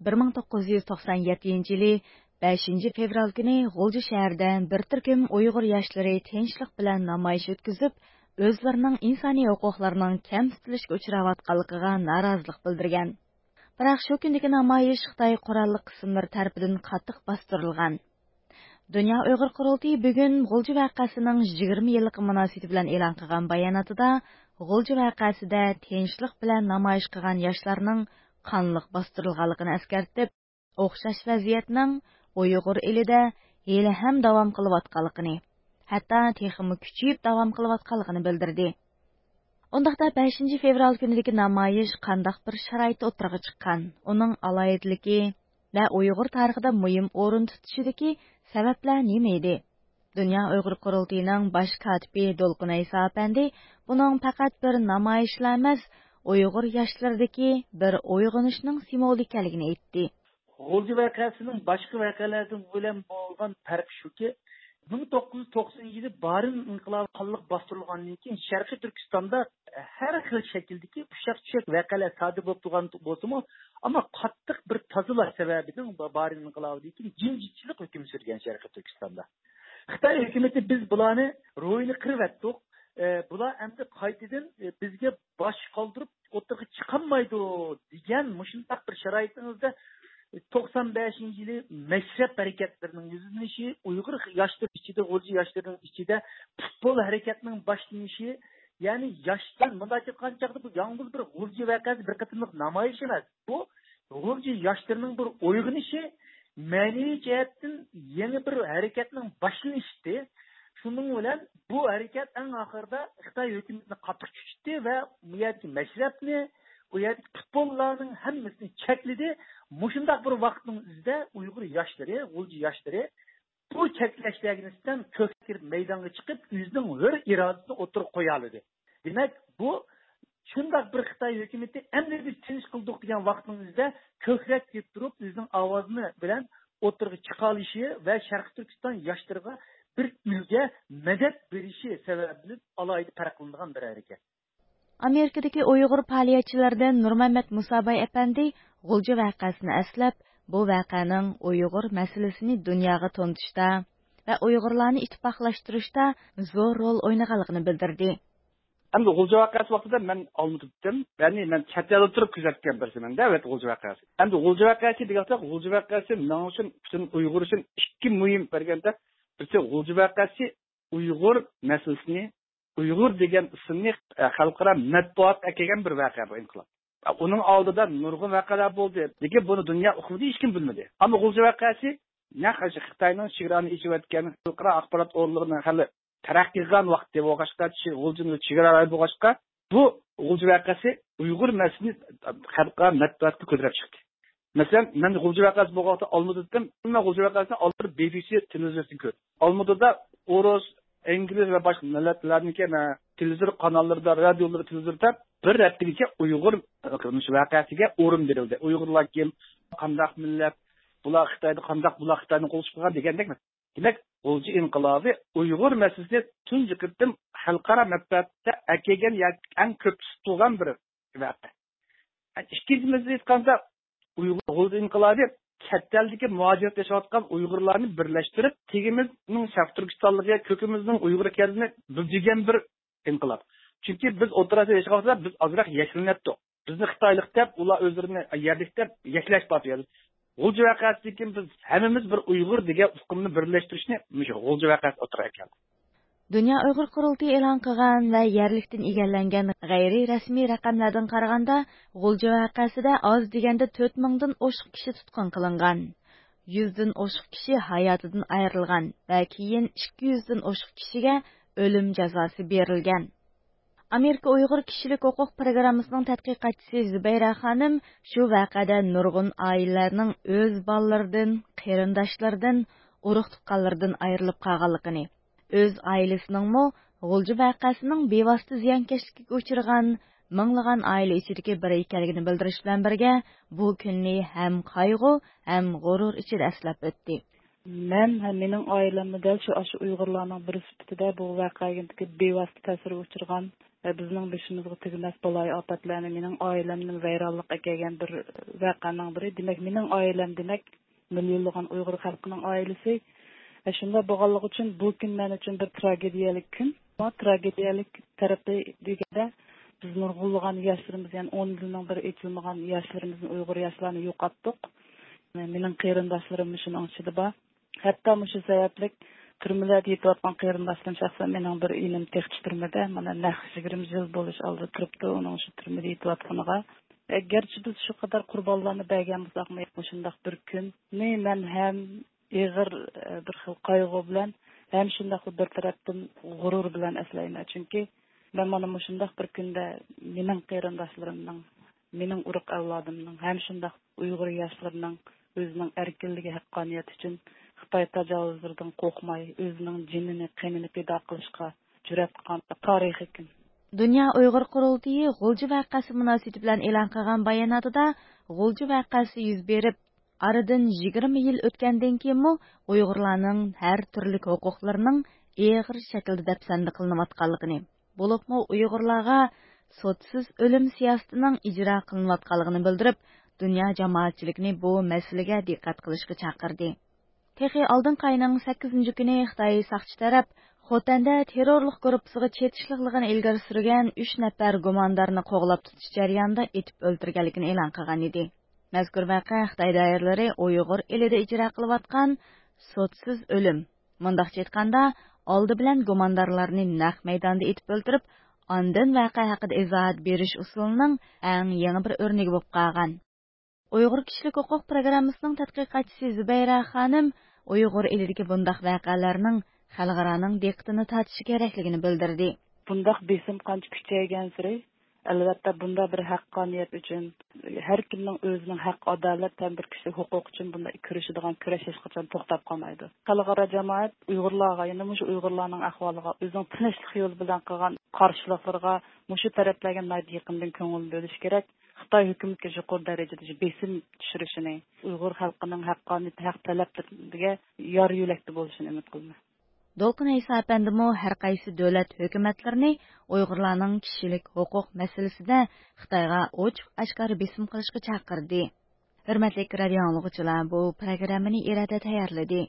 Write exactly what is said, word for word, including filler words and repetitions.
بىر مىڭ توققۇز يۈز توقسان يەتتىنچى يىلى بەشىنچى فېۋرال كۈنى غۇلجا شەھىرىدە بىر تۈركۈم ئۇيغۇر ياشلىرى تىنچلىق بىلەن نامايىش ئۆتكۈزۈپ، ئۆزلىرىنىڭ ئىنسانىي ھوقۇقلىرىنىڭ كەمسىتىلىشكە ئۇچراۋاتقانلىقىغا نارازىلىق بىلدۈرگەن. بىراق شۇ كۈندىكى نامايىش خىتاي قوراللىق قىسىملىرى تەرىپىدىن قاتتىق باستۇرۇلغان. دۇنيا ئۇيغۇر قۇرۇلتىيى بۈگۈن غۇلجا ۋەقەسىنىڭ يىگىرمە يىللىقى مۇناسىۋىتى بىلەن ئېلان قىلغان باياناتىدا، غۇلجا ۋەقەسىدە تىنچلىق بىلەن نامايىش قىلغان ياشلارنىڭ قانلىق باستۇرۇلغانلىقىنى ئەسكەرتىپ، ئوخشاش ۋەزىيەتنىڭ ئۇيغۇر ئېلىدە ھېلىھەم داۋام قىلىۋاتقانلىقىنى، ھەتتا تېخىمۇ كۈچىيىپ داۋام قىلىۋاتقانلىقىنى بىلدۈردى. ئۇنداقتا بەشىنچى فېۋرال كۈنىدىكى نامايىش قانداق بىر شارائىتتا ئوتتۇرىغا چىققان؟ ئۇنىڭ ئالاھىدىلىكى ۋە ئۇيغۇر تارىخىدا مۇھىم ئورۇن تۇتۇشىدىكى سەۋەبلەر نېمە ئىدى؟ دۇنيا ئۇيغۇر قۇرۇلتىيىنىڭ باش كاتىپى دولقۇن ئەيسا ئەپەندى بۇنىڭ پەقەت بىر نامايىشلا ئەمەس، ئۇيغۇر ياشلىرىدىكى بىر ئويغىنىشنىڭ سىمۋولى ئىكەنلىكىنى ئېيتتى. غۇلجا ۋەقەسىنىڭ باشقا ۋەقەلەردىن بىلەن بولغان پەرقى شۇكى، مىڭ توققۇز يۈز توقسىنىنچى يىلى بارىن ئىنقىلابى قانلىق باستۇرۇلغاندىن كېيىن، شەرقىي تۈركىستاندا ھەر خىل شەكىلدىكى ئۇششاق-چۈششەك ۋەقەلەر سادىر بولۇپ تۇرغان بولسىمۇ، ئەمما قاتتىق بىر تازىلاش سەۋەبىدىن بارىن ئىنقىلابىدىن كېيىن جىمجىتچىلىق ھۆكۈم سۈرگەن شەرقىي تۈركىستاندا. خىتاي ھۆكۈمىتى، بىز بۇلارنى روھىنى قىرىۋەتتۇق، ئە، بۇلار ئەمدى قايتىدىن، ئە، بىزگە باش قالدۇرۇپ ئوتتۇرىغا چىقالمايدۇ، دېگەن مۇشۇنداق بىر شارائىتىڭىزدا، توقسان بەشىنچى يىلى مەشرەپ ھەرىكەتلىرىنىڭ يۈزلىنىشى، ئۇيغۇر ياشلىرى ئىچىدە، غۇلجا ياشلىرىنىڭ ئىچىدە پۇتبول ھەرىكەتنىڭ باشلىنىشى، يەنى ياشلار، مۇنداق ئېيتقان چاغدا، بۇ يالغۇز بىر غۇلجا ۋەقەسى، بىر قېتىملىق نامايىش ئەمەس. بۇ غۇلجا ياشلىرىنىڭ بىر ئويغىنىشى، مەنىۋى جەھەتتىن يېڭى بىر ھەرىكەتنىڭ باشلىنىشى. شۇنىڭ بىلەن بۇ ھەرىكەت ئەڭ ئاخىرىدا خىتاي ھۆكۈمىتىنى قاتتىق چۆچۈتتى ۋە ئۇ يەردىكى مەشرەپنى، ئۇ يەردىكى پۇتبوللارنىڭ ھەممىسىنى چەكلىدى. مۇشۇنداق بىر ۋاقىتنىڭ ئۆزىدە ئۇيغۇر ياشلىرى، غۇلجا ياشلىرى بۇ چەكلەشلەرگە نىسبەتەن كۆككە كىرىپ مەيدانغا چىقىپ، ئۆزىنىڭ ھۆر ئىرادىسىنى ئوتتۇرىغا قويالىدى. دېمەك، بۇ شۇنداق بىر خىتاي ھۆكۈمىتى ئەمدى بىز تىنچ قىلدۇق دېگەن ۋاقىتنىڭ ئۆزىدە كۆكرەك كېتىپ تۇرۇپ، ئۆزىنىڭ ئاۋازىنى بىلەن ئوتتۇرىغا چىقالىشى ۋە شەرقىي تۈركىستان ياشلىرىغا بىر ئۈلگە، مەدەت بېرىشى سەۋەبىدىن ئالاھىدە پەرقلىنىدىغان بىر ھەرىكەت. ئامېرىكىدىكى ئۇيغۇر پائالىيەتچىلىرىدىن نۇرمەمەت مۇساباي ئەپەندى غۇلجا ۋەقەسىنى ئەسلەپ، بۇ ۋەقەنىڭ ئۇيغۇر مەسىلىسىنى دۇنياغا تونۇتۇشتا ۋە ئۇيغۇرلارنى ئىتتىپاقلاشتۇرۇشتا زور رول ئوينىغانلىقىنى بىلدۈردى. ئەمدى غۇلجا ۋەقەسى ۋاقتىدا مەن ئالمۇتىدىم. يەنى مەن چەت ئەلدە تۇرۇپ كۆزەتكەن بىرسىمەن-دە، ئەلۋەتتە، غۇلجا ۋەقەسى. ئەمدى غۇلجا ۋەقەسى دېگەن ۋاقىتتا، غۇلجا ۋەقەسى مېنىڭ ئۈچۈن، پۈتۈن ئۇيغۇر ئۈچۈن ئىككى مۇھىم بەرگەندە، بىرسى غۇلجا ۋەقەسى ئۇيغۇر مەسىلىسىنى، ئۇيغۇر دېگەن ئىسىمنى، ئە، خەلقئارا مەتبۇئاتقا ئەكەلگەن بىر ۋەقە بۇ ئىنقىلاب. ئۇنىڭ ئالدىدا نۇرغۇن ۋەقەلەر بولدى. لېكىن بۇنى دۇنيا ئۇقمىدى، ھېچكىم بىلمىدى. ئەمما غۇلجا ۋەقەسى نەق ئاشۇ خىتاينىڭ چېگرانى ئېچىۋەتكەن، خەلقئارا ئاخبارات ئورۇنلىرىنىڭ ھېلى تەرەققىي قىلغان ۋاقتى بولغاچقا، چى-، غۇلجىنىڭ چېگرا رايونى بولغاچقا، بۇ غۇلجا ۋەقەسى ئۇيغۇر مەسىلىسىنى خەلقئارا مەتبۇئاتقا كۆتۈرۈپ چىقتى. مەسىلەن، مەن غۇلجا ۋەقەسى بولغان ۋاقىتتا ئالمۇتىدىن، مەن غۇلجا ۋەقەسىنى ئالمۇتىدا بى بى سى تېلېۋىزورىدىن كۆردۈم. ئالمۇتىدا ئورۇس، ئىنگلىز ۋە باشقا مىللەتلەرنىڭكى، مە-، تېلېۋىزور قاناللىرىدا، رادىيولىرى، تېلېۋىزوردا بىر ھەپتىگىچە ئۇيغۇر، ئە، مۇشۇ ۋەقەسىگە ئورۇن بېرىلدى. ئۇيغۇرلار كىم، قانداق مىللەت، بۇلار خىتايدا قانداق، بۇلار خىتاينى قوللىشىپ قىلغان دېگەندەك. دېمەك، غۇلجا ئىنقىلابى ئۇيغۇر مەسىلىسىنى تۇنجى قېتىم خەلقئارا مەتبۇئاتتا ئەكەلگەن ياكى ئەڭ كۆپ تۇتۇلغان بىر ۋەقە. ئىككىنچى مەسىلە ئېيتقاندا، ئۇيغۇر، غۇلجا ئىنقىلابى چەت ئەلدىكى مۇھاجىرەتتە ياشاۋاتقان ئۇيغۇرلارنى بىرلەشتۈرۈپ، تېگىمىزنىڭ شەرقىي تۈركىستانلىقى، كۆكىمىزنىڭ ئۇيغۇر ئىكەنلىكىنى بىلدۈرگەن بىر ئىنقىلاب. چۈنكى بىز ئوتتۇرا ئاسىيادا ياشىغان ۋاقتىدا بىز ئازراق يەكلىنەتتۇق. بىزنى خىتايلىق دەپ، ئۇلار ئۆزلىرىنى يەرلىك دەپ يەكلەش بار بۇ يەردە. غۇلجا ۋەقەسىدىن كېيىن بىز ھەممىمىز بىر ئۇيغۇر دېگەن ئۇقۇمنى بىرلەشتۈرۈشنى مۇشۇ غۇلجا ۋەقەسى ئوتتۇرىغا ئەكەلدى. دۇنيا ئۇيغۇر قۇرۇلتىيى ئېلان قىلغان ۋە يەرلىكتىن ئىگىلەنگەن غەيرىي رەسمىي رەقەملەردىن قارىغاندا، غۇلجا ۋەقەسىدە ئاز دېگەندە تۆت مىڭدىن ئوشۇق كىشى تۇتقۇن قىلىنغان، يۈزدىن ئوشۇق كىشى ھاياتىدىن ئايرىلغان ۋە كېيىن ئىككى يۈزدىن ئوشۇق كىشىگە ئۆلۈم جازاسى بېرىلگەن. ئامېرىكا ئۇيغۇر كىشىلىك ھوقۇق پروگراممىسىنىڭ تەتقىقاتچىسى زۇبەيرە خانىم شۇ ۋەقەدە نۇرغۇن ئائىلىلەرنىڭ ئۆز بالىلىرىدىن، قېرىنداشلىرىدىن، ئۇرۇق-تۇغقانلىرىدىن ئايرىلىپ قالغانلىقىنى، ئۆز ئائىلىسىنىڭمۇ غۇلجا ۋەقەسىنىڭ بىۋاسىتە زىيانكەشلىكىگە ئۇچرىغان مىڭلىغان ئائىلە ئىچىدىكى بىرى ئىكەنلىكىنى بىلدۈرۈش بىلەن بىرگە، بۇ كۈننى ھەم قايغۇ، ھەم غۇرۇر ئىچىدە ئەسلەپ ئۆتتى. مەن ھەم مېنىڭ ئائىلەممۇ دەل شۇ، ئاشۇ ئۇيغۇرلارنىڭ بىرى سۈپىتىدە بۇ ۋەقەگە بىۋاسىتە تەسىرگە ئۇچرىغان ۋە بىزنىڭ بېشىمىزغا تۈگىمەس بالايىئاپەتلەرنى، مېنىڭ ئائىلەمنى ۋەيرانلىق ئەكەلگەن بىر ۋەقەنىڭ بىرى. دېمەك، مېنىڭ ئائىلەم، دېمەك، مىليونلىغان ئۇيغۇر خەلقىنىڭ ئائىلىسى. ئە، شۇنداق بولغانلىقى ئۈچۈن بۇ كۈن مەن ئۈچۈن بىر تراگېدىيەلىك كۈن. بۇ تراگېدىيەلىك تەرىپى دېگەندە، بىز نۇرغۇنلىغان ياشلىرىمىز، يەنى ئون مىليوننىڭ بىرى ئېچىلمىغان ياشلىرىمىزنى، ئۇيغۇر ياشلارنى يوقاتتۇق. مېنىڭ قېرىنداشلىرىم شۇنىڭ ئىچىدە بار. ھەتتا مۇشۇ سەۋەبلىك تۈرمىلەردە يېتىۋاتقان قېرىنداشلىرىم، شەخسەن مېنىڭ بىر ئىنىم تېخىچە تۈرمىدە، مانا، نەق يىگىرمە يىل بولۇش ئالدىدا تۇرۇپتۇ ئۇنىڭ شۇ تۈرمىدە يېتىۋاتقىنىغا. ئە، گەرچە بىز شۇ قەدەر قۇربانلارنى بەرگەن بولساقمۇ، مۇشۇنداق بىر كۈننى مەن ھەم ئېغىر، ئە، بىر خىل قايغۇ بىلەن، ھەم شۇنداقلا بىر تەرەپتىن غۇرۇر بىلەن ئەسلەيمەن. چۈنكى مەن مانا مۇشۇنداق بىر كۈندە مېنىڭ قېرىنداشلىرىمنىڭ، مېنىڭ ئۇرۇق ئەۋلادىمنىڭ، ھەم شۇنداق ئۇيغۇر ياشلىرىنىڭ ئۆزىنىڭ ئەركىنلىكى، ھەققانىيىتى ئۈچۈن خىتاي تاجاۋۇزلىرىدىن قورقماي، ئۆزىنىڭ جېنىنى، قېنىنى پىدا قىلىشقا جۈرئەت قىلغان تارىخىي كۈن. دۇنيا ئۇيغۇر قۇرۇلتىيى غۇلجا ۋەقەسى مۇناسىۋىتى بىلەن ئېلان قىلغان باياناتىدا، غۇلجا ۋەقەسى يۈز بېرىپ، ئارىدىن يىگىرمە يىل ئۆتكەندىن كېيىنمۇ ئۇيغۇرلارنىڭ ھەر تۈرلۈك ھوقۇقلىرىنىڭ ئېغىر شەكىلدە دەپسەندە قىلىنىۋاتقانلىقىنى، بولۇپمۇ ئۇيغۇرلارغا سوتسىز ئۆلۈم سىياسىتىنىڭ ئىجرا قىلىنىۋاتقانلىقىنى بىلدۈرۈپ، دۇنيا جامائەتچىلىكىنى بۇ مەسىلىگە دىققەت قىلىشقا چاقىردى. تېخى ئالدىنقى ئاينىڭ سەككىزىنچى كۈنى خىتاي ساقچى تەرەپ خوتەندە تېررورلۇق گۇرۇپپىسىغا چېتىشلىقلىقىنى ئىلگىرى سۈرگەن ئۈچ نەپەر گۇماندارنى قوغلاپ تۇتۇش جەريانىدا ئېتىپ ئۆلتۈرگەنلىكىنى ئېلان قىلغان ئىدى. مەزكۇر ۋەقە خىتاي دائىرىلىرى ئۇيغۇر ئېلىدە ئىجرا قىلىۋاتقان سوتسىز ئۆلۈم، مۇنداقچە ئېيتقاندا، ئالدى بىلەن گۇماندارلارنى نەق مەيداندا ئېتىپ ئۆلتۈرۈپ، ئاندىن ۋەقە ھەققىدە ئىزاھات بېرىش ئۇسۇلىنىڭ ئەڭ يېڭى بىر ئۆرنىكى بولۇپ قالغان. ئۇيغۇر كىشىلىك ھوقۇق پروگراممىسىنىڭ تەتقىقاتچىسى زۇبەيرە خانىم ئۇيغۇر ئېلىدىكى بۇنداق ۋەقەلەرنىڭ خەلقئارانىڭ دىققىتىنى تارتىشى كېرەكلىكىنى بىلدۈردى. بۇنداق بېسىم قانچە كۈچەيگەنسېرى، ئەلۋەتتە، بۇنداق بىر ھەققانىيەت ئۈچۈن، ھەر كىمنىڭ ئۆزىنىڭ ھەق، ئادالەت ھەم بىر كىشىلىك ھوقۇق ئۈچۈن بۇنداق كۈرىشىدىغان كۈرەش ھېچقاچان توختاپ قالمايدۇ. خەلقئارا جامائەت ئۇيغۇرلارغا، يەنە مۇشۇ ئۇيغۇرلارنىڭ ئەھۋالىغا، ئۆزىنىڭ تىنچلىق يولى بىلەن قىلغان قارشىلىقلىرىغا مۇشۇ تەرەپلەرگە ناھايىتى يېقىندىن كۆڭۈل بۆلۈشى كېرەك. خىتاي ھۆكۈمىتىگە يۇقىرى دەرىجىدە بېسىم چۈشۈرۈشىنى، ئۇيغۇر خەلقىنىڭ ھەققانىيىتى، ھەق تەلەپلىرىگە يار يۆلەكتە بولۇشىنى ئۈمىد قىلىمەن. دولقۇن ئەيسا ئەپەندىمۇ ھەر قايسى دۆلەت ھۆكۈمەتلىرىنى ئۇيغۇرلارنىڭ كىشىلىك ھوقۇق مەسىلىسىدە خىتايغا ئوچۇق ئاشكارا بېسىم قىلىشقا چاقىردى. ھۆرمەتلىك رادىيو ئاڭلىغۇچىلار، بۇ پروگراممىنى ئىرادە تەييارلىدى.